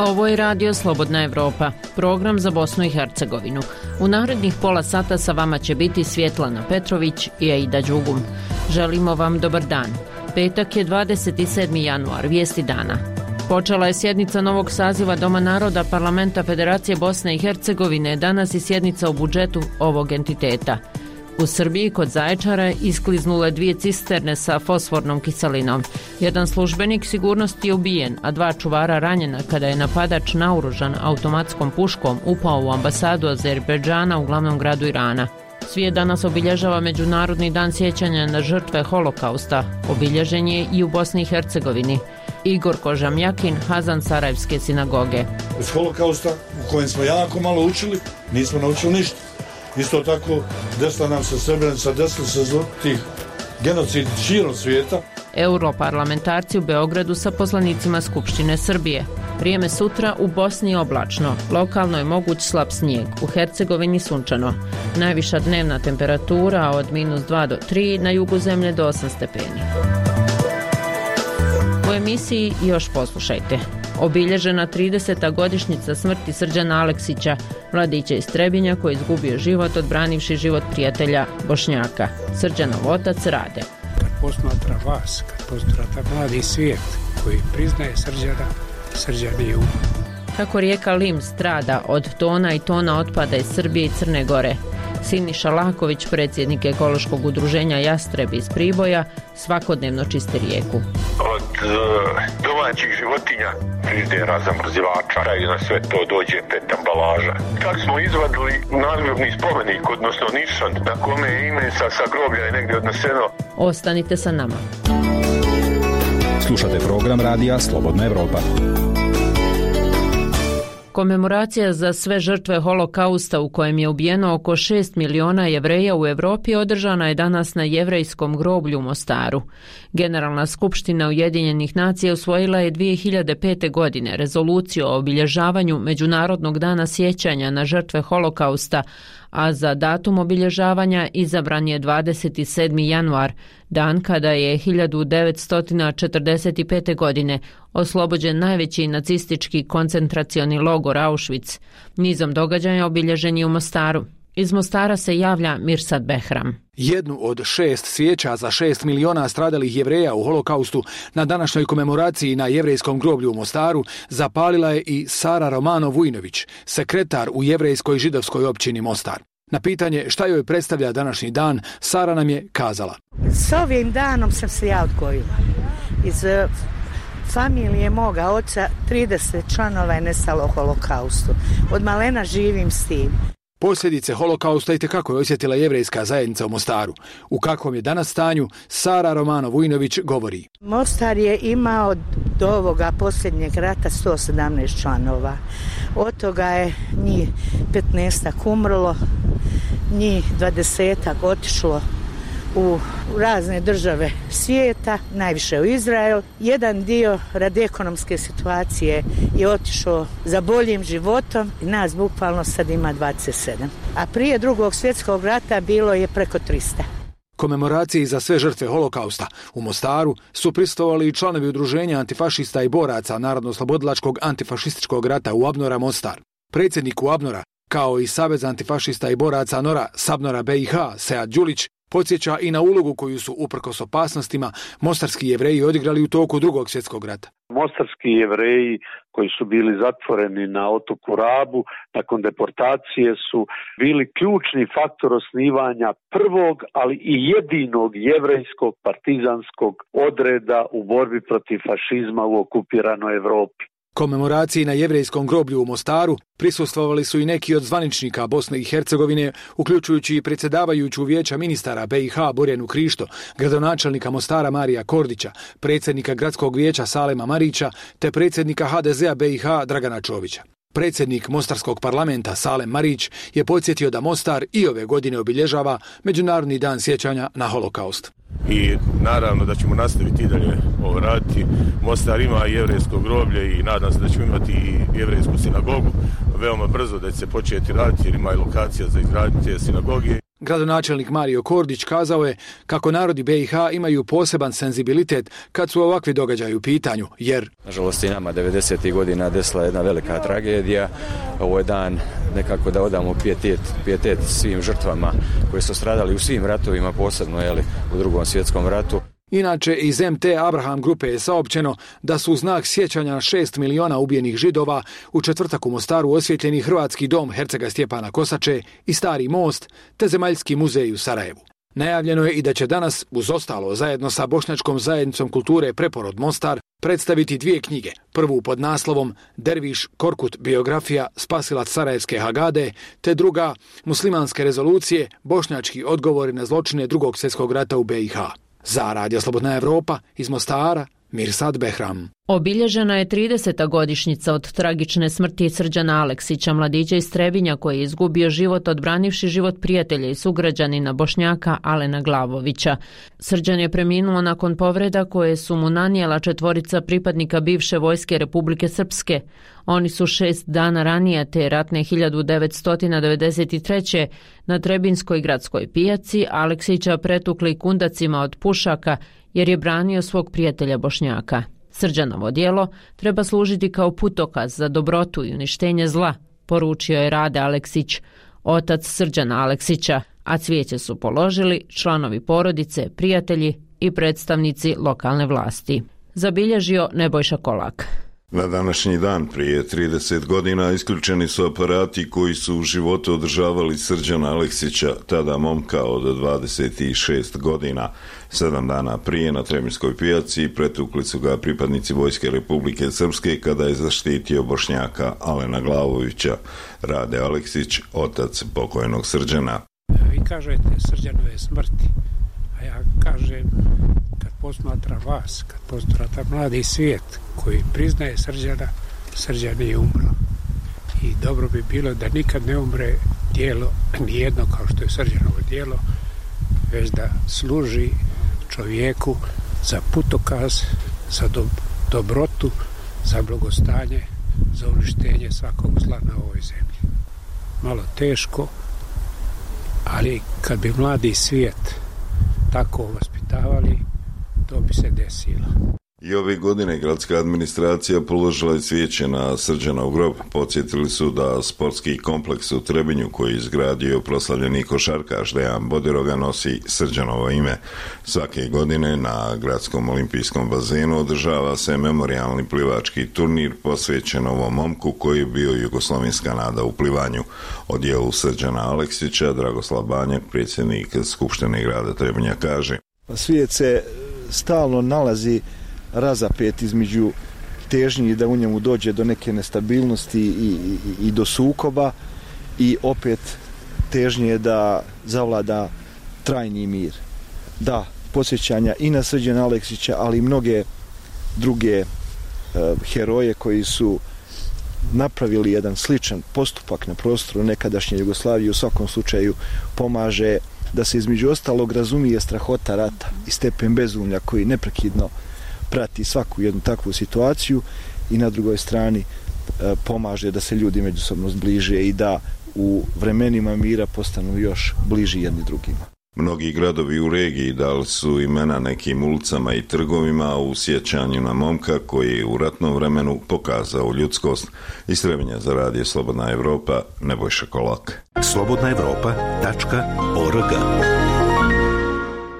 Ovo je Radio Slobodna Evropa, program za Bosnu i Hercegovinu. U narednih pola sata sa vama će biti Svjetlana Petrović i Aida Đugum. Želimo vam dobar dan. Petak je 27. januar, vijesti dana. Počela je sjednica novog saziva Doma naroda Parlamenta Federacije Bosne i Hercegovine, danas i sjednica o budžetu ovog entiteta. U Srbiji kod Zaječara iskliznule 2 cisterne sa fosfornom kiselinom. Jedan službenik sigurnosti je ubijen, a 2 čuvara ranjena kada je napadač naoružan automatskom puškom upao u ambasadu Azerbejdžana u glavnom gradu Irana. Svijet danas obilježava Međunarodni dan sjećanja na žrtve holokausta. Obilježen je i u Bosni i Hercegovini. Igor Kožamjakin, Hazan Sarajevske sinagoge. Iz holokausta, u kojem smo jako malo učili, nismo naučili ništa. Isto tako, desila nam se Srebrenica, desila se tih genocid širom svijeta. Europarlamentarci u Beogradu sa poslanicima Skupštine Srbije. Vrijeme sutra u Bosni oblačno, lokalno je moguć slab snijeg, u Hercegovini sunčano. Najviša dnevna temperatura od -2 do 3, na jugu zemlje do 8 stepeni. U emisiji još poslušajte. Obilježena 30. godišnjica smrti Srđana Aleksića, mladića iz Trebinja koji je izgubio život odbranivši život prijatelja Bošnjaka. Srđanov otac Rade. Kad posmatra vas, kad posmatra mladi svijet koji priznaje Srđana, Srđan je umro. Kako rijeka Lim strada od tona i tona otpada iz Srbije i Crne Gore. Siniša Laković, predsjednik ekološkog udruženja Jastrebi iz Priboja, svakodnevno čisti rijeku. Od domaćih životinja, frižidera, zamrzivača, i na sve to dođe 5 ambalaža. Čak smo izvadili nadgrobni spomenik, odnosno nišan, na kome je ime sa groblja je negdje odneseno. Ostanite sa nama. Slušate program Radija Slobodna Evropa. Komemoracija za sve žrtve holokausta u kojem je ubijeno oko 6 miliona Jevreja u Europi održana je danas na jevrejskom groblju u Mostaru. Generalna skupština Ujedinjenih nacija usvojila je 2005. godine rezoluciju o obilježavanju Međunarodnog dana sjećanja na žrtve holokausta, a za datum obilježavanja izabran je 27. januar, dan kada je 1945. godine oslobođen najveći nacistički koncentracioni logor Auschwitz. Nizom događaja obilježen je u Mostaru. Iz Mostara se javlja Mirsad Behram. Jednu od 6 svijeća za 6 miliona stradalih Jevreja u holokaustu na današnjoj komemoraciji na jevrejskom groblju u Mostaru zapalila je i Sara Romano Vujnović, sekretar u jevrejskoj židovskoj općini Mostar. Na pitanje šta joj predstavlja današnji dan, Sara nam je kazala. S ovim danom sam se ja odgojila. Iz familije moga oca 30 članova je nestalo u holokaustu. Od malena živim s tim. Posljedice holokausta itekako je osjetila jevrejska zajednica u Mostaru. U kakvom je danas stanju, Sara Romano Vujnović govori. Mostar je imao do ovoga posljednjeg rata 117 članova. Od toga je njih 15 umrlo, njih 20 otišlo u razne države svijeta, najviše u Izrael. Jedan dio radi ekonomske situacije je otišao za boljim životom i nas bukvalno sad ima 27. A prije Drugog svjetskog rata bilo je preko 300. Komemoraciji za sve žrtve holokausta u Mostaru su prisustvovali i članovi udruženja antifašista i boraca Narodno-oslobodilačkog antifašističkog rata UABNOR-a Mostar. Predsjednik UABNOR-a, kao i Savez antifašista i boraca NORA Sabnora BiH, Sead Đulić, podsjeća i na ulogu koju su uprkos opasnostima mostarski Jevreji odigrali u toku Drugog svjetskog rata. Mostarski Jevreji koji su bili zatvoreni na otoku Rabu nakon deportacije su bili ključni faktor osnivanja prvog, ali i jedinog jevrejskog partizanskog odreda u borbi protiv fašizma u okupiranoj Europi. Komemoraciji na jevrejskom groblju u Mostaru prisustvovali su i neki od zvaničnika Bosne i Hercegovine, uključujući i predsjedavajuću vijeća ministara BiH Borjanu Krišto, gradonačelnika Mostara Marija Kordića, predsjednika gradskog vijeća Salema Marića te predsjednika HDZ-a BiH Dragana Čovića. Predsjednik Mostarskog parlamenta Salem Marić je podsjetio da Mostar i ove godine obilježava Međunarodni dan sjećanja na holokaust. I naravno da ćemo nastaviti i dalje ovo raditi. Mostar ima jevrejsko groblje i nadam se da ćemo imati i jevrejsku sinagogu veoma brzo da će se početi raditi jer ima i lokacija za izgradnju te sinagoge. Gradonačelnik Mario Kordić kazao je kako narodi BiH imaju poseban senzibilitet kad su ovakvi događaji u pitanju, jer nažalost i nama 90. godina desila jedna velika tragedija. Ovo je dan nekako da odamo pijetet svim žrtvama koji su stradali u svim ratovima, posebno u Drugom svjetskom ratu. Inače, iz MT Abraham grupe je saopćeno da su u znak sjećanja na 6 miliona ubijenih Židova u četvrtak u Mostaru osvjetljeni Hrvatski dom Hercega Stjepana Kosače i Stari most, te Zemaljski muzej u Sarajevu. Najavljeno je i da će danas, uz ostalo, zajedno sa Bošnjačkom zajednicom kulture Preporod Mostar, predstaviti 2 knjige. Prvu pod naslovom Derviš Korkut biografija spasilac Sarajevske Hagade, te druga Muslimanske rezolucije, bošnjački odgovori na zločine Drugog svjetskog rata u BiH. Za Radio Slobodna Evropa iz Mostara, Mirsad Behram. Obilježena je 30. godišnjica od tragične smrti Srđana Aleksića, mladića iz Trebinja koji je izgubio život odbranivši život prijatelja i sugrađanina Bošnjaka Alena Glavovića. Srđan je preminuo nakon povreda koje su mu nanijela 4 pripadnika bivše vojske Republike Srpske. Oni su 6 dana ranije te ratne 1993. na Trebinskoj gradskoj pijaci Aleksića pretukli kundacima od pušaka jer je branio svog prijatelja Bošnjaka. Srđanovo djelo treba služiti kao putokaz za dobrotu i uništenje zla, poručio je Rade Aleksić, otac Srđana Aleksića, a cvijeće su položili članovi porodice, prijatelji i predstavnici lokalne vlasti. Zabilježio Nebojša Kolak. Na današnji dan prije 30 godina isključeni su aparati koji su u životu održavali Srđana Aleksića, tada momka od 26 godina. 7 dana prije na Trebinskoj pijaci pretukli su ga pripadnici Vojske Republike Srpske kada je zaštitio Bošnjaka Alena Glavovića. Rade Aleksić, otac pokojnog Srđana. Vi kažete Srđanove smrti, a ja kažem kad posmatra vas, kad posmatra mladi svijet koji priznaje Srđana, Srđan nije umro. I dobro bi bilo da nikad ne umre djelo, nijedno kao što je Srđanovo djelo, već da služi čovjeku za putokaz, za dobrotu, za blagostanje, za uništenje svakog zla na ovoj zemlji. Malo teško, ali kad bi mladi svijet tako vaspitavali, to bi se desilo. I ove godine gradska administracija položila je cvijeće na Srđanov grob. Podsjetili su da sportski kompleks u Trebinju koji je izgradio proslavljeni košarkaš Dejan Bodiroga nosi Srđanovo ime. Svake godine na gradskom olimpijskom bazenu održava se memorijalni plivački turnir posvećen ovom momku koji je bio jugoslovenska nada u plivanju. O djelu Srđana Aleksića Dragoslav Banjak, predsjednik Skupštine grada Trebinja, kaže: Svijet se stalno nalazi razapet između težnji da u njemu dođe do neke nestabilnosti i do sukoba i opet težnje da zavlada trajni mir. Da, podsjećanja i na Srđana Aleksića, ali i mnoge druge heroje koji su napravili jedan sličan postupak na prostoru nekadašnje Jugoslavije, u svakom slučaju pomaže da se između ostalog razumije strahota rata i stepen bezumlja koji neprekidno prati svaku jednu takvu situaciju i na drugoj strani pomaže da se ljudi međusobno zbliže i da u vremenima mira postanu još bliži jedni drugima. Mnogi gradovi u regiji dali su imena nekim ulicama i trgovima u sjećanju na momka koji je u ratnom vremenu pokazao ljudskost. Iz Trebinja za Radio Slobodna Evropa, Nebojša Kolak. slobodnaevropa.org.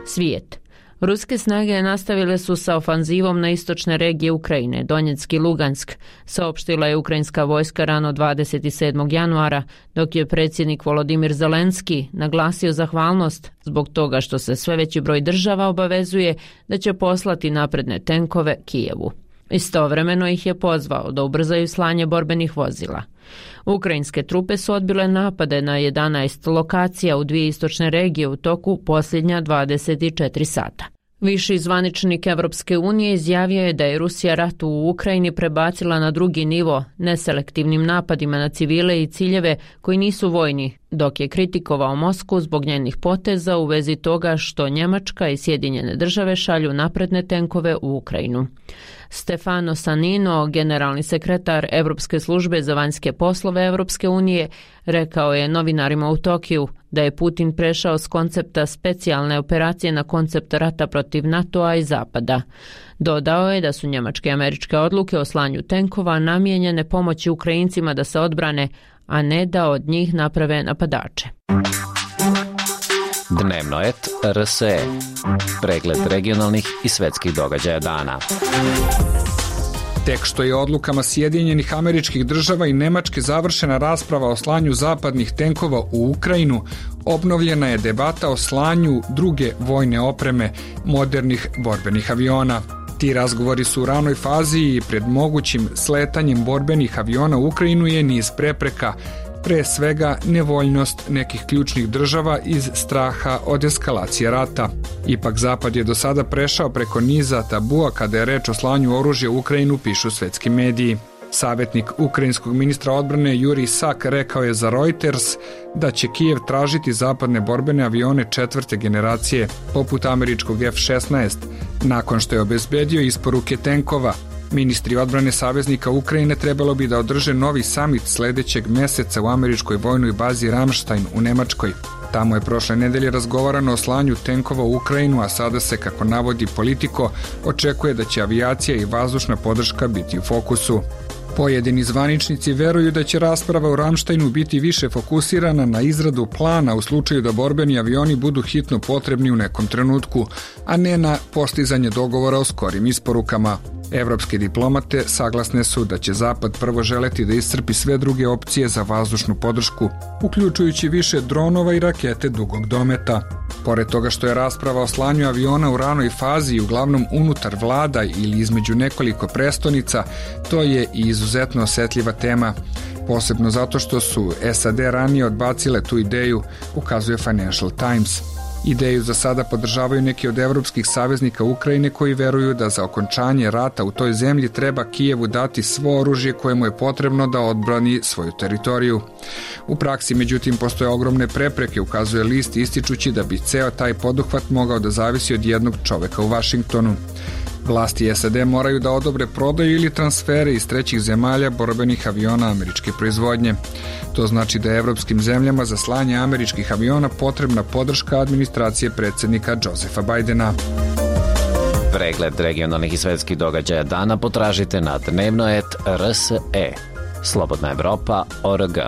Svijet. Ruske snage nastavile su sa ofanzivom na istočne regije Ukrajine, Donjeck i Lugansk, saopštila je ukrajinska vojska rano 27. januara, dok je predsjednik Volodimir Zelenski naglasio zahvalnost zbog toga što se sve veći broj država obavezuje da će poslati napredne tenkove Kijevu. Istovremeno ih je pozvao da ubrzaju slanje borbenih vozila. Ukrajinske trupe su odbile napade na 11 lokacija u 2 istočne regije u toku posljednja 24 sata. Viši zvaničnik Evropske unije izjavio je da je Rusija rat u Ukrajini prebacila na drugi nivo neselektivnim napadima na civile i ciljeve koji nisu vojni, dok je kritikovao Moskvu zbog njenih poteza u vezi toga što Njemačka i Sjedinjene države šalju napredne tenkove u Ukrajinu. Stefano Sannino, generalni sekretar Europske službe za vanjske poslove Europske unije, rekao je novinarima u Tokiju da je Putin prešao s koncepta specijalne operacije na koncept rata protiv NATO-a i Zapada. Dodao je da su njemačke i američke odluke o slanju tenkova namijenjene pomoći Ukrajincima da se odbrane, a ne da od njih naprave napadače. Dnevno et RSE. Pregled regionalnih i svetskih događaja dana. Tek što je odlukama Sjedinjenih Američkih Država i Nemačke završena rasprava o slanju zapadnih tenkova u Ukrajinu, obnovljena je debata o slanju druge vojne opreme, modernih borbenih aviona. Ti razgovori su u ranoj fazi i pred mogućim sletanjem borbenih aviona u Ukrajinu je niz prepreka, pre svega nevoljnost nekih ključnih država iz straha od eskalacije rata. Ipak Zapad je do sada prešao preko niza tabua kada je reč o slanju oružja u Ukrajinu, pišu svetski mediji. Savjetnik ukrajinskog ministra odbrane Jurij Sak rekao je za Reuters da će Kijev tražiti zapadne borbene avione 4. generacije, poput američkog F-16, nakon što je obezbedio isporuke tenkova. Ministri odbrane saveznika Ukrajine trebalo bi da održe novi samit sledećeg meseca u američkoj vojnoj bazi Ramstein u Nemačkoj. Tamo je prošle nedelje razgovarano o slanju tenkova u Ukrajinu, a sada se, kako navodi Politico, očekuje da će avijacija i vazdušna podrška biti u fokusu. Pojedini zvaničnici veruju da će rasprava u Ramsteinu biti više fokusirana na izradu plana u slučaju da borbeni avioni budu hitno potrebni u nekom trenutku, a ne na postizanje dogovora o skorim isporukama. Evropske diplomate saglasne su da će Zapad prvo želeti da iscrpi sve druge opcije za vazdušnu podršku, uključujući više dronova i rakete dugog dometa. Pored toga što je rasprava o slanju aviona u ranoj fazi i uglavnom unutar vlada ili između nekoliko prestonica, to je i izuzetno osetljiva tema, posebno zato što su SAD ranije odbacile tu ideju, ukazuje Financial Times. Ideju za sada podržavaju neki od evropskih saveznika Ukrajine koji veruju da za okončanje rata u toj zemlji treba Kijevu dati svo oružje koje mu je potrebno da odbrani svoju teritoriju. U praksi, međutim, postoje ogromne prepreke, ukazuje list, ističući da bi ceo taj poduhvat mogao da zavisi od jednog čoveka u Vašingtonu. Vlasti SAD moraju da odobre prodaju ili transfere iz trećih zemalja borbenih aviona američke proizvodnje. To znači da je evropskim zemljama za slanje američkih aviona potrebna podrška administracije predsjednika Josefa Bajdena. Pregled regionalnih i svetskih događaja dana potražite na dnevnoet.rse. Slobodna Evropa.org.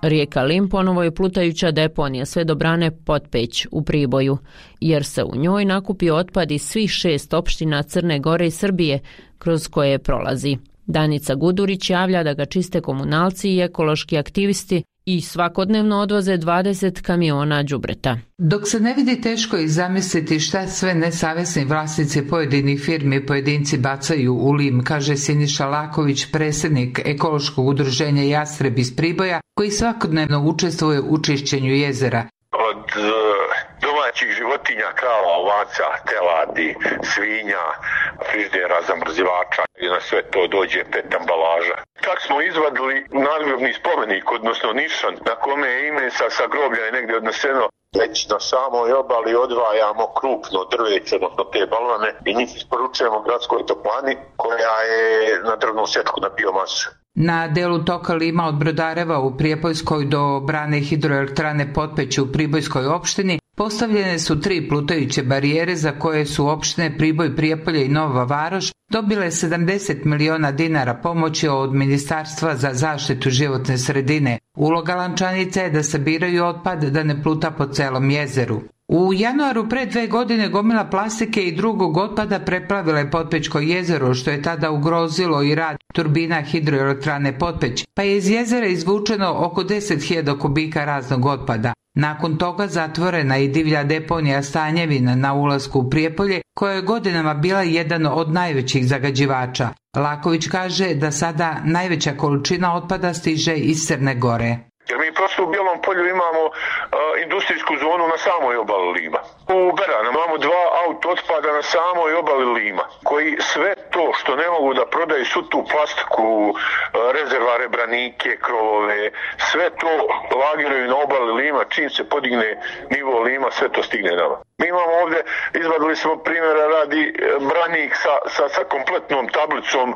Rijeka Lim ponovo je plutajuća deponija sve do brane Potpeć u Priboju, jer se u njoj nakupio otpad iz svih 6 opština Crne Gore i Srbije kroz koje prolazi. Danica Gudurić javlja da ga čiste komunalci i ekološki aktivisti i svakodnevno odvoze 20 kamiona đubreta. Dok se ne vidi, teško je zamisliti šta sve nesavesni vlasnici pojedinih firmi i pojedinci bacaju u Lim, kaže Siniša Laković, predsjednik ekološkog udruženja Jastreb iz Priboja, koji svakodnevno učestvuje u čišćenju jezera. Od domaćih životinja, krava, ovaca, teladi, svinja, frižidera, zamrzivača i na sve to dođe 5 ambalaža. Čak smo izvadili nadgrobni spomenik, odnosno nišan, na kome je ime sa groblja je negdje odneseno. Već na samoj obali odvajamo krupno drveće, odnosno te balvane, i njih isporučujemo gradskoj toplani koja je na drvnu sječku na biomasu. Na delu toka Lima od Brodareva u Prijepoljskoj do brane hidroelektrane Potpeć u Pribojskoj opštini postavljene su 3 plutajuće barijere za koje su opštine Priboj, Prijepolje i Nova Varoš dobile 70 miliona dinara pomoći od Ministarstva za zaštitu životne sredine. Uloga lančanica je da sabiraju otpad da ne pluta po celom jezeru. U januaru pre 2 godine gomila plastike i drugog otpada preplavila je Potpećko jezero, što je tada ugrozilo i rad turbina hidroelektrane Potpeć, pa je iz jezera izvučeno oko 10.000 kubika raznog otpada. Nakon toga zatvorena i divlja deponija Stanjevina na ulasku u Prijepolje, koja je godinama bila jedan od najvećih zagađivača. Laković kaže da sada najveća količina otpada stiže iz Crne Gore. Jer mi prosto u Bijelom Polju imamo industrijsku zonu na samoj obali Lima. U Beranu imamo 2 auto otpada na samoj obali Lima, koji sve to što ne mogu da prodaju, svu tu plastiku, rezervare, branike, krovove, sve to lagiraju na obali Lima, čim se podigne nivo Lima, sve to stigne nama. Mi imamo ovdje, izvadili smo primjera radi branik sa kompletnom tablicom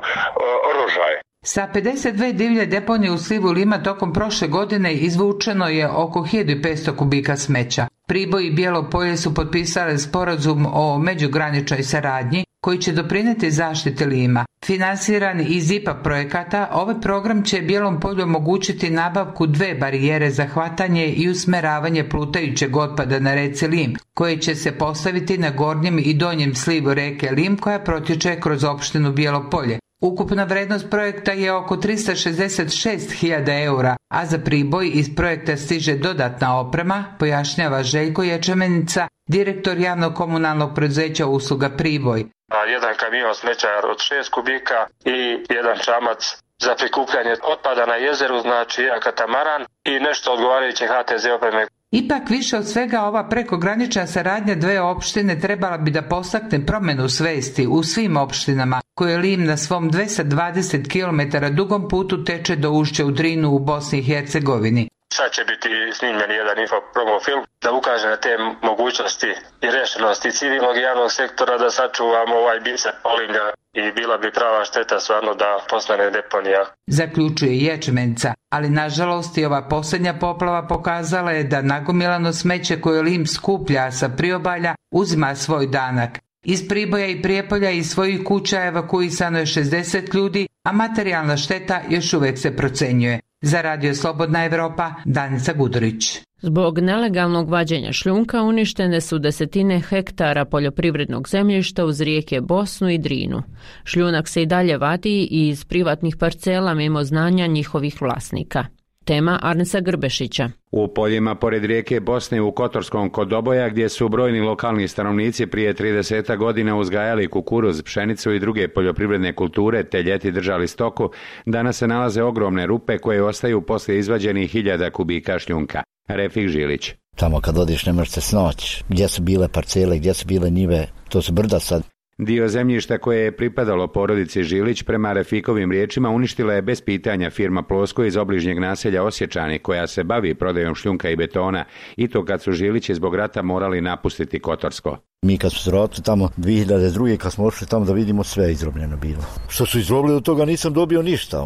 rožaje. Sa 52 divlje deponije u slivu Lima tokom prošle godine izvučeno je oko 1500 kubika smeća. Priboj i Bijelo Polje su potpisali sporazum o međugraničnoj saradnji koji će doprinijeti zaštiti Lima. Finansiran iz IPA projekata, ovaj program će Bijelom Polju omogućiti nabavku 2 barijere za hvatanje i usmeravanje plutajućeg otpada na reci Lim, koje će se postaviti na gornjem i donjem slivu reke Lim koja protječe kroz opštinu Bijelo Polje. Ukupna vrednost projekta je oko 366.000 eura, a za Priboj iz projekta stiže dodatna oprema, pojašnjava Željko Ječemenica, direktor javnog komunalnog preduzeća usluga Priboj. Jedan kamion smeća od 6 kubika i jedan čamac za prikupljanje otpada na jezeru, znači jedan katamaran i nešto odgovarajuće HTZ opreme. Ipak više od svega ova prekogranična saradnja 2 opštine trebala bi da postakne promjenu svesti u svim opštinama koje Lim na svom 220 km dugom putu teče do ušća u Drinu u Bosni i Hercegovini. Sad će biti snimljen jedan infopromo film da ukaže na te mogućnosti i rešenosti civilnog i javnog sektora da sačuvamo ovaj biser Polimlja i bila bi prava šteta stvarno da postane deponija. Zaključuje Ječmenca, ali nažalost i ova posljednja poplava pokazala je da nagomilano smeće koje Lim skuplja sa priobalja uzima svoj danak. Iz Priboja i Prijepolja i svojih kuća evakuisano je 60 ljudi, a materijalna šteta još uvijek se procenjuje. Za Radio Slobodna Evropa, Danica Gudurić. Zbog nelegalnog vađenja šljunka uništene su desetine hektara poljoprivrednog zemljišta uz rijeke Bosnu i Drinu. Šljunak se i dalje vadi iz privatnih parcela mimo znanja njihovih vlasnika. Tema Arnesa Grbešića. U poljima pored rijeke Bosne u Kotorskom kod Doboja, gdje su brojni lokalni stanovnici prije 30 godina uzgajali kukuruz, pšenicu i druge poljoprivredne kulture te ljeti držali stoku, danas se nalaze ogromne rupe koje ostaju poslije izvađenih 1000 kubika šljunka. Refik Žilić. Tamo kad odiš ne možeš se snaći. Gdje su bile parcele, gdje su bile njive, to su brda sad. Dio zemljišta koje je pripadalo porodici Žilić prema Refikovim riječima uništila je bez pitanja firma Plosko iz obližnjeg naselja Osječani koja se bavi prodajom šljunka i betona i to kad su Žilići zbog rata morali napustiti Kotorsko. Mi kad smo se vratili tamo 2002. kad smo ošli tamo da vidimo sve izrobljeno bilo. Što su izrobili od toga nisam dobio ništa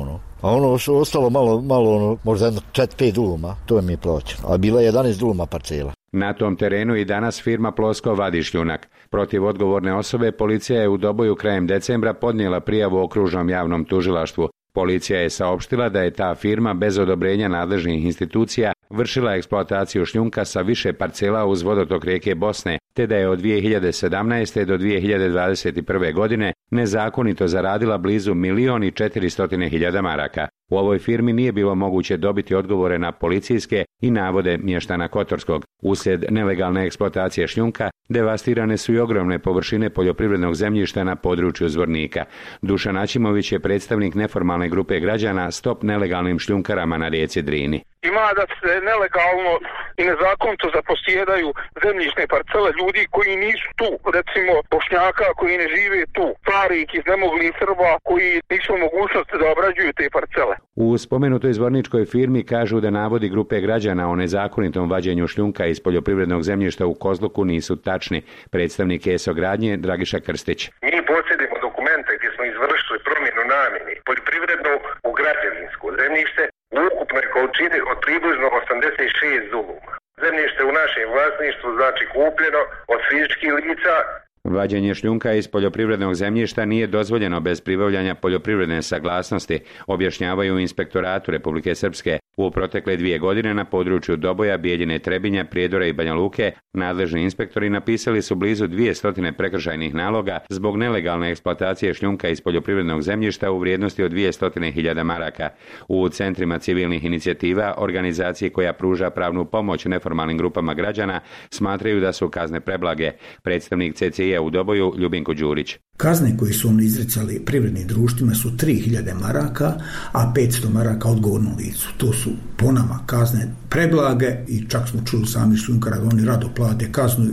A ono što ostalo malo možda 4-5 duluma, to mi je plaćeno. A bila je 11 duluma parcela. Na tom terenu i danas firma Plosko vadi šljunak. Protiv odgovorne osobe policija je u Doboju krajem decembra podnijela prijavu okružnom javnom tužilaštvu. Policija je saopštila da je ta firma bez odobrenja nadležnih institucija vršila eksploataciju šljunka sa više parcela uz vodotok rijeke Bosne, te da je od 2017. do 2021. godine nezakonito zaradila blizu 1.400.000 maraka. U ovoj firmi nije bilo moguće dobiti odgovore na policijske i navode mještana Kotorskog. Uslijed nelegalne eksploatacije šljunka devastirane su i ogromne površine poljoprivrednog zemljišta na području Zvornika. Dušan Ačimović je predstavnik neformalne grupe građana Stop nelegalnim šljunkarama na rijeci Drini. Ima da se nelegalno i nezakonito zaposjedaju zemljišne parcele ljudi koji nisu tu, recimo Bošnjaka koji ne žive tu, starih iz nemoglih Srba koji nisu u mogućnosti da obrađuju te parcele. U spomenutoj zvorničkoj firmi kažu da navodi grupe građana o nezakonitom vađenju šljunka iz poljoprivrednog zemljišta u Kozluku nisu tačni. Predstavnik ESO gradnje Dragiša Krstić. Mi posjedimo dokumente gdje smo izvršili promjenu namjene poljoprivredno u građevinsko zemljište u ukupnoj količini od približno 86 duluma. Zemljište u našem vlasništvu znači kupljeno od fizičkih lica. Vađenje šljunka iz poljoprivrednog zemljišta nije dozvoljeno bez pribavljanja poljoprivredne saglasnosti, objašnjavaju u Inspektoratu Republike Srpske. U protekle 2 godine na području Doboja, Bijeljine, Trebinja, Prijedora i Banja Luke nadležni inspektori napisali su blizu 200 prekršajnih naloga zbog nelegalne eksploatacije šljunka iz poljoprivrednog zemljišta u vrijednosti od 200.000 maraka. U centrima civilnih inicijativa, organizaciji koja pruža pravnu pomoć neformalnim grupama građana, smatraju da su kazne preblage. Predstavnik CCI u Doboju Ljubinko Đurić. Kazne koje su oni izricali privrednim društvima su 3.000 maraka, a 500 maraka odgovornom licu. To su su po nama kazne preblage i čak smo čuli sami Šljunkara da oni rado plate kaznu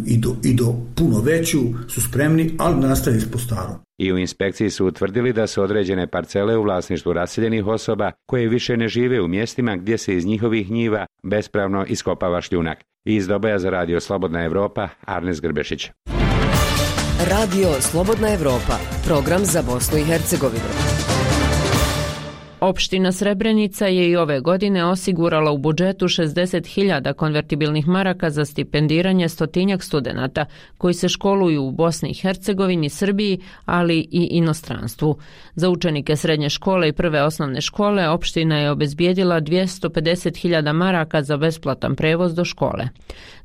i do puno veću su spremni, ali nastavi po starom. I u inspekciji su utvrdili da su određene parcele u vlasništvu raseljenih osoba koje više ne žive u mjestima gdje se iz njihovih njiva bespravno iskopava šljunak. Iz Doboja za Radio Slobodna Evropa, Arnes Grbešić. Radio Slobodna Evropa, program za Bosnu i Hercegovinu. Opština Srebrenica je i ove godine osigurala u budžetu 60.000 konvertibilnih maraka za stipendiranje stotinjak studenata koji se školuju u Bosni i Hercegovini, Srbiji, ali i inostranstvu. Za učenike srednje škole i prve osnovne škole opština je obezbijedila 250.000 maraka za besplatan prevoz do škole.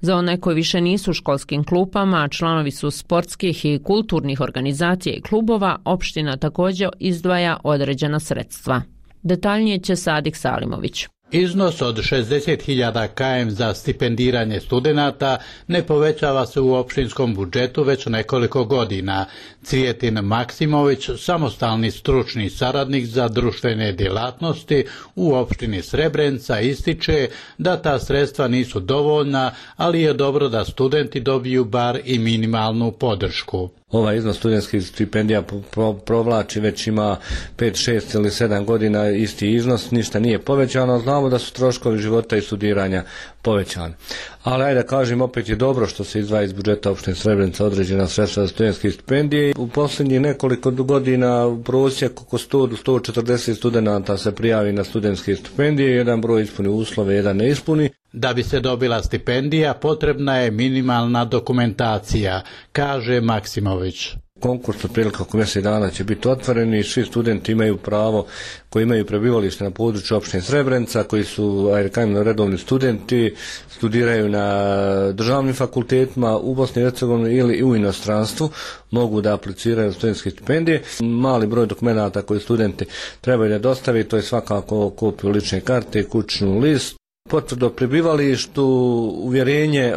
Za one koji više nisu u školskim klupama, a članovi su sportskih i kulturnih organizacija i klubova, opština također izdvaja određena sredstva. Detaljnije će Sadik Salimović. Iznos od 60.000 km za stipendiranje studenata ne povećava se u opštinskom budžetu već nekoliko godina. Cvijetin Maksimović, samostalni stručni saradnik za društvene djelatnosti u opštini Srebrenica, ističe da ta sredstva nisu dovoljna, ali je dobro da studenti dobiju bar i minimalnu podršku. Ovaj iznos studentskih stipendija provlači već ima 5, 6 ili 7 godina isti iznos, ništa nije povećano, znamo da su troškovi života i studiranja povećani. Ali ajde da kažem, opet je dobro što se izdvaja iz budžeta opštine Srebrenica određena sredstva za studentske stipendije. U posljednjih nekoliko godina u prosjeku oko 100 do 140 studenata se prijavi na studentske stipendije, jedan broj ispuni uslove, jedan ne ispuni. Da bi se dobila stipendija, potrebna je minimalna dokumentacija, kaže Maksimović. Konkurs otprilike oko mjesec dana će biti otvoren i svi studenti imaju pravo koji imaju prebivalište na području opštine Srebrenica, koji su redovni studenti, studiraju na državnim fakultetima u Bosni i Hercegovini ili u inostranstvu, mogu da apliciraju studentske stipendije. Mali broj dokumenata koji studenti trebaju da dostaviti, to je svakako kopiju lične karte, kućnu list, potvrdu o prebivalištu, uvjerenje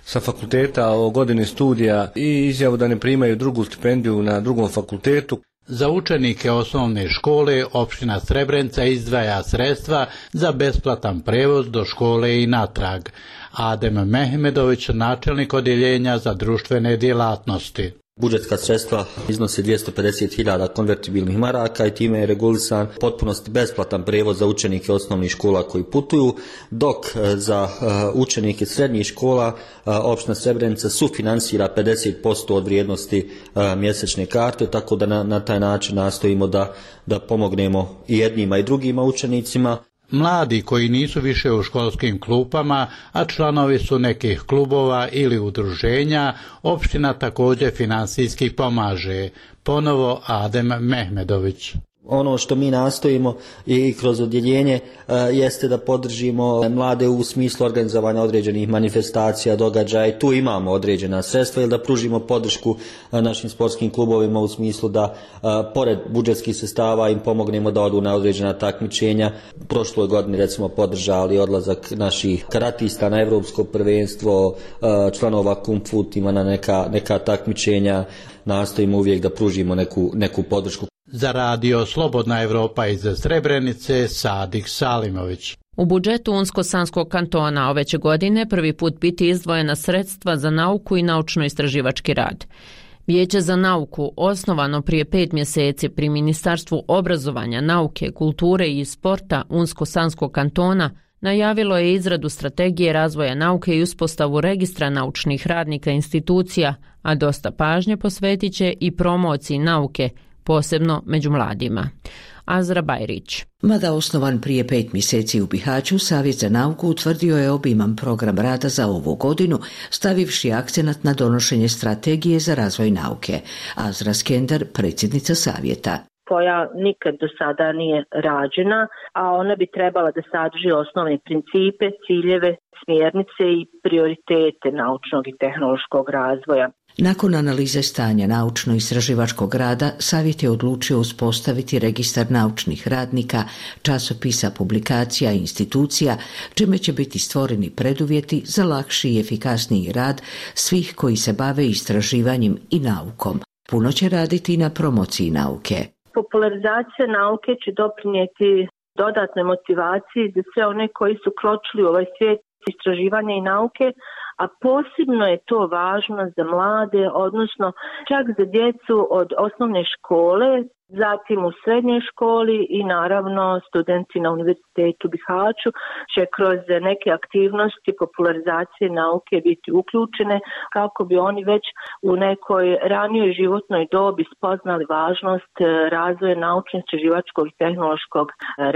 sa fakulteta o godini studija i izjavu da ne primaju drugu stipendiju na drugom fakultetu. Za učenike osnovne škole opština Srebrenica izdvaja sredstva za besplatan prevoz do škole i natrag. Adem Mehmedović, načelnik odjeljenja za društvene djelatnosti. Budžetska sredstva iznose 250.000 konvertibilnih maraka i time je regulisan potpunosti besplatan prevoz za učenike osnovnih škola koji putuju, dok za učenike srednjih škola opština Srebrenica sufinansira 50% od vrijednosti mjesečne karte, tako da na taj način nastojimo da pomognemo i jednima i drugima učenicima. Mladi koji nisu više u školskim klupama, a članovi su nekih klubova ili udruženja, opština također finansijski pomaže. Ponovo Adem Mehmedović. Ono što mi nastojimo i kroz odjeljenje jeste da podržimo mlade u smislu organizovanja određenih manifestacija, događaja i tu imamo određena sredstva ili da pružimo podršku našim sportskim klubovima u smislu da pored budžetskih sredstava im pomognemo da odu na određena takmičenja. Prošloj godini recimo podržali odlazak naših karatista na evropsko prvenstvo, članova Kung Fu tima na neka takmičenja. Nastojimo uvijek da pružimo neku podršku. Za Radio Slobodna Evropa iz Srebrenice, Sadik Salimović. U budžetu Unsko-Sanskog kantona ove će godine prvi put biti izdvojena sredstva za nauku i naučno-istraživački rad. Vijeće za nauku, osnovano prije 5 mjeseci pri Ministarstvu obrazovanja, nauke, kulture i sporta Unsko-Sanskog kantona, najavilo je izradu strategije razvoja nauke i uspostavu registra naučnih radnika institucija, a dosta pažnje posvetit će i promociji nauke, posebno među mladima. Azra Bajrić. Mada osnovan prije 5 mjeseci u Bihaću, Savjet za nauku utvrdio je obiman program rada za ovu godinu, stavivši akcenat na donošenje strategije za razvoj nauke. Azra Skender, predsjednica Savjeta. Koja nikad do sada nije rađena, a ona bi trebala da sadrži osnovne principe, ciljeve, smjernice i prioritete naučnog i tehnološkog razvoja. Nakon analize stanja naučno-istraživačkog rada, Savjet je odlučio uspostaviti registar naučnih radnika, časopisa, publikacija i institucija, čime će biti stvoreni preduvjeti za lakši i efikasniji rad svih koji se bave istraživanjem i naukom. Puno će raditi na promociji nauke. Popularizacija nauke će doprinijeti dodatnoj motivaciji za sve one koji su kročili u ovaj svijet istraživanja i nauke, a posebno je to važno za mlade, odnosno čak za djecu od osnovne škole, zatim u srednjoj školi i naravno studenti na Univerzitetu Bihaću će kroz neke aktivnosti popularizacije nauke biti uključene kako bi oni već u nekoj ranijoj životnoj dobi spoznali važnost razvoja naučno-istraživačkog i tehnološkog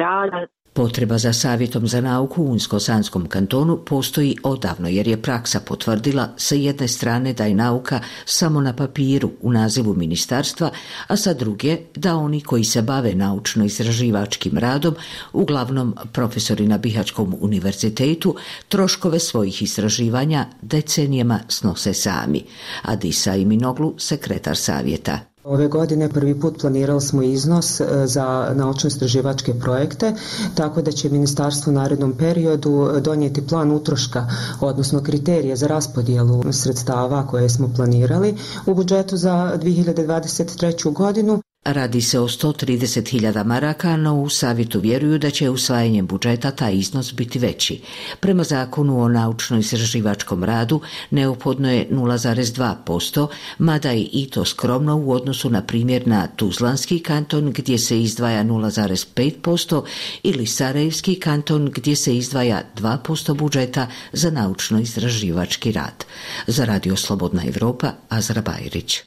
rada. Potreba za savjetom za nauku u Unsko-Sanskom kantonu postoji odavno jer je praksa potvrdila sa jedne strane da je nauka samo na papiru u nazivu ministarstva, a sa druge da oni koji se bave naučno-istraživačkim radom, uglavnom profesori na Bihaćkom univerzitetu, troškove svojih istraživanja decenijama snose sami. Adisa Iminoglu, sekretar savjeta. Ove godine prvi put planirali smo iznos za naučno-istraživačke projekte, tako da će ministarstvo u narednom periodu donijeti plan utroška, odnosno kriterije za raspodjelu sredstava koje smo planirali u budžetu za 2023. godinu. Radi se o 130.000 maraka, no u savjetu vjeruju da će usvajanjem budžeta taj iznos biti veći. Prema zakonu o naučno-istraživačkom radu neophodno je 0,2%, mada je i to skromno u odnosu na primjer na Tuzlanski kanton gdje se izdvaja 0,5% ili Sarajevski kanton gdje se izdvaja 2% budžeta za naučno-istraživački rad. Za Radio Slobodna Evropa, Azra Bajrić.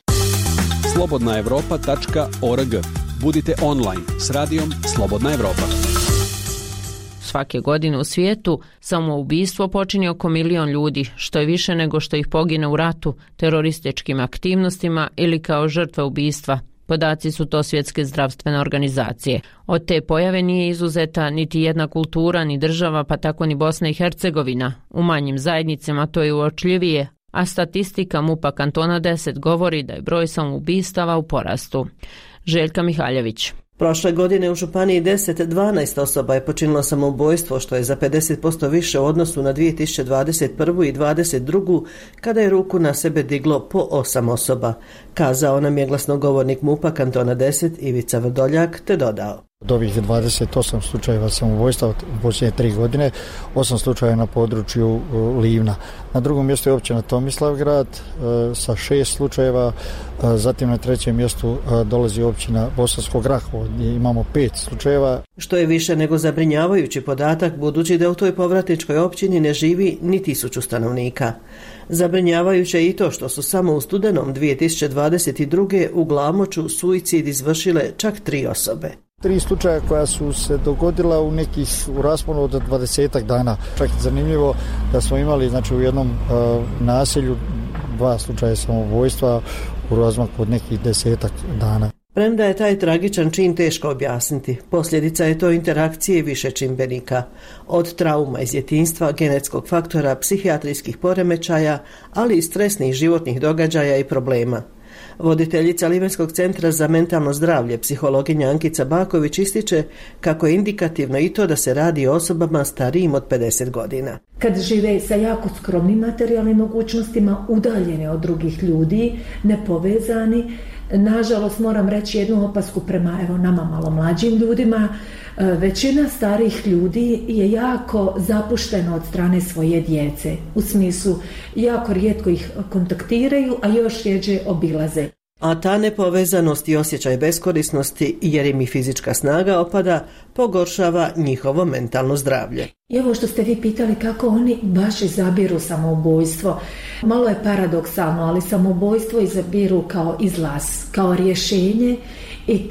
slobodnaevropa.org. Budite online s radijom Slobodna Evropa. Svake godine u svijetu samoubistvo počini oko 1 milion ljudi, što je više nego što ih pogine u ratu, terorističkim aktivnostima ili kao žrtve ubistva. Podaci su to Svjetske zdravstvene organizacije. Od te pojave nije izuzeta niti jedna kultura, ni država, pa tako ni Bosna i Hercegovina. U manjim zajednicama to je uočljivije, a statistika MUP-a kantona 10 govori da je broj samoubistava u porastu. Željka Mihaljević. Prošle godine u Županiji 12 osoba je počinilo samoubojstvo, što je za 50% više u odnosu na 2021. i 2022. kada je ruku na sebe diglo po 8 osoba. Kazao nam je glasnogovornik MUP-a kantona 10 Ivica Vrdoljak, te dodao. Od ovih 28 slučajeva samoubojstva u posljednje 3 godine, 8 slučajeva na području Livna. Na drugom mjestu je općina Tomislavgrad sa 6 slučajeva, zatim na trećem mjestu dolazi općina Bosansko Grahovo gdje imamo 5 slučajeva. Što je više nego zabrinjavajući podatak budući da u toj povratničkoj općini ne živi ni 1000 stanovnika. Zabrinjavajuće je i to što su samo u studenom 2022. u Glamoču suicid izvršile čak 3 osobe. 3 slučaja koja su se dogodila u rasponu od 20 dana. Čak je zanimljivo da smo imali u jednom naselju 2 slučaja samoubojstva u razmaku od nekih 10 dana. Premda je taj tragičan čin teško objasniti, posljedica je to interakcije više čimbenika. Od trauma iz djetinjstva, genetskog faktora, psihijatrijskih poremećaja, ali i stresnih životnih događaja i problema. Voditeljica Livenskog centra za mentalno zdravlje, psihologinja Ankica Baković, ističe kako je indikativno i to da se radi o osobama starijim od 50 godina. Kad žive sa jako skromnim materijalnim mogućnostima, udaljene od drugih ljudi, nepovezani, nažalost moram reći jednu opasku prema nama malo mlađim ljudima, većina starih ljudi je jako zapuštena od strane svoje djece. U smislu, jako rijetko ih kontaktiraju, a još rjeđe obilaze. A ta nepovezanost i osjećaj beskorisnosti, jer im i fizička snaga opada, pogoršava njihovo mentalno zdravlje. I ovo što ste vi pitali kako oni baš izabiru samoubojstvo, malo je paradoksalno, ali samoubojstvo izabiru kao izlaz, kao rješenje i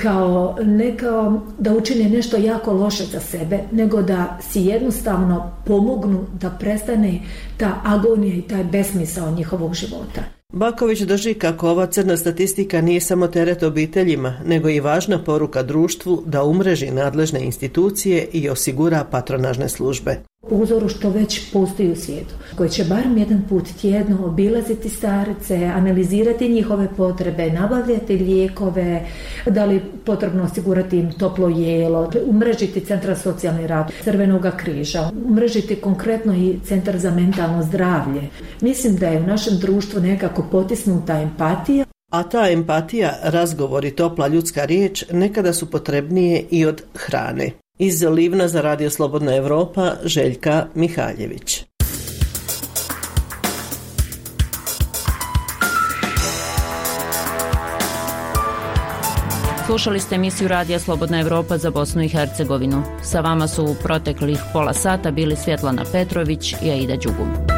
ne kao da učine nešto jako loše za sebe, nego da si jednostavno pomognu da prestane ta agonija i taj besmisao njihovog života. Baković drži kako ova crna statistika nije samo teret obiteljima, nego i važna poruka društvu da umreži nadležne institucije i osigura patronažne službe. Po uzoru što već postoji u svijetu, koji će barem jedan put tjedno obilaziti starce, analizirati njihove potrebe, nabavljati lijekove, da li potrebno osigurati im toplo jelo, umrežiti centar socijalni rad, Crvenog križa, umrežiti konkretno i centar za mentalno zdravlje. Mislim da je u našem društvu nekako potisnuta empatija. A ta empatija, razgovor i topla ljudska riječ nekada su potrebnije i od hrane. Iz Livna za Radio Slobodna Evropa, Željka Mihaljević. Slušali ste emisiju Radija Slobodna Evropa za Bosnu i Hercegovinu. Sa vama su u proteklih pola sata bili Svjetlana Petrović i Aida Đugum.